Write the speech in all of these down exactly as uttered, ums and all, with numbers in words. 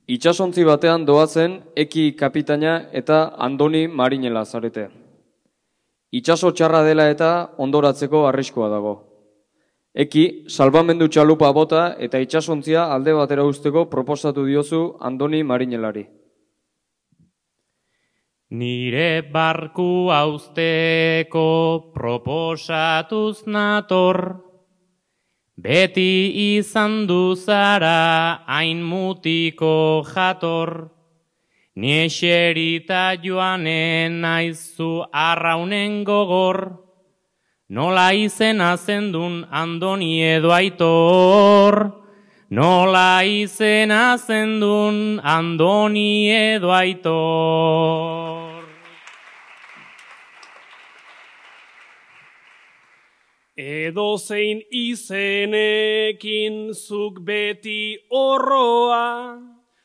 Itsasontzi batean doazen Eki kapitaina eta Andoni marinela zarete. Itsaso txarra dela eta ondoratzeko arriskua dago. Eki, salbamendu txalupa bota eta itsasontzia alde batera usteko proposatu diozu Andoni marinelari. Nire barku hauzteko proposatuz nator, beti izan du zara hain mutiko jator, ni eserita joanen naizu arraunen gogor, nola izena zendun Andoni edo Aitor, nola izena zendun Andoni edo Aitor. Edozein izenekin zuk beti horroa,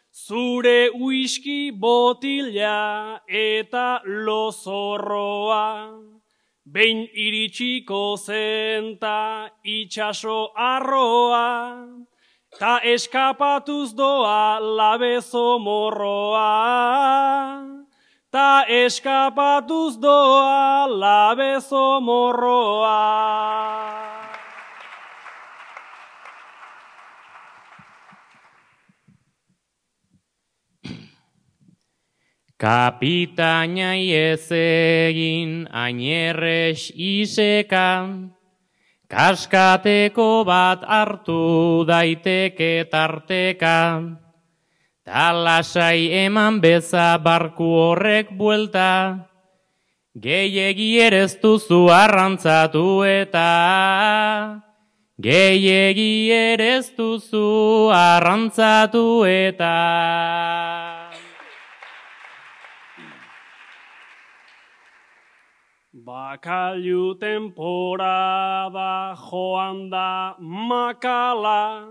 zure whisky botila eta lozorroa, behin iritsiko zenta itxaso arroa, ta eskapatuz doa labezo morroa. Ta eskapatuz doa labezo morroa. Kapitainai ez egin ainerrez isekan, kaskateko bat hartu daiteke tartekan, ta lasai eman beza barku horrek buelta, gehiegi erez duzu arrantzatu eta, gehiegi erez duzu arrantzatu eta. Bakailu temporada joan da makala,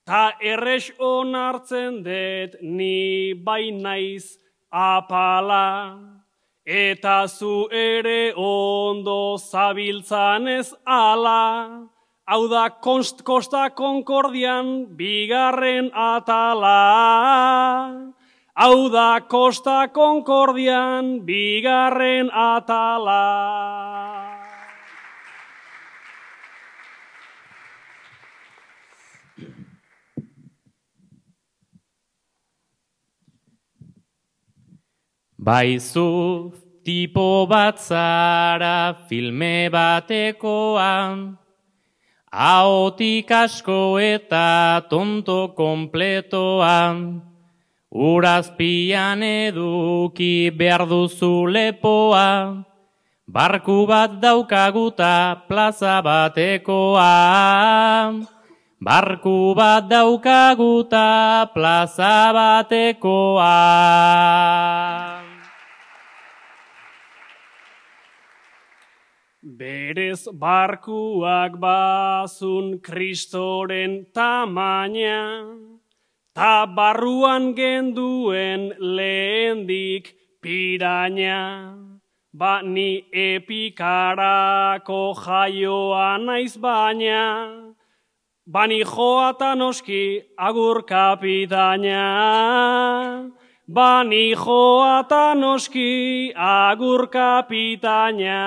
ta errex onartzen dut ni bai naiz apala, eta zu ere ondo zabiltzan ez ala, hau da Kosta Concordian bigarren atala. Hau da Kosta Concordian bigarren atala. Baizu tipo bat zara filme batekoan, ahotik asko eta tonto kompletoan, urazpian eduki behar duzu lepoa, barku bat daukaguta plaza batekoa. Barku bat daukaguta plaza batekoa. Berez barkuak bazun kristoren tamaina, ta barruan genduen lehendik piraña, ba ni epikarako jaioa naiz baina, ba ni joata noski agur kapitaina, ba ni joata noski agur kapitaina.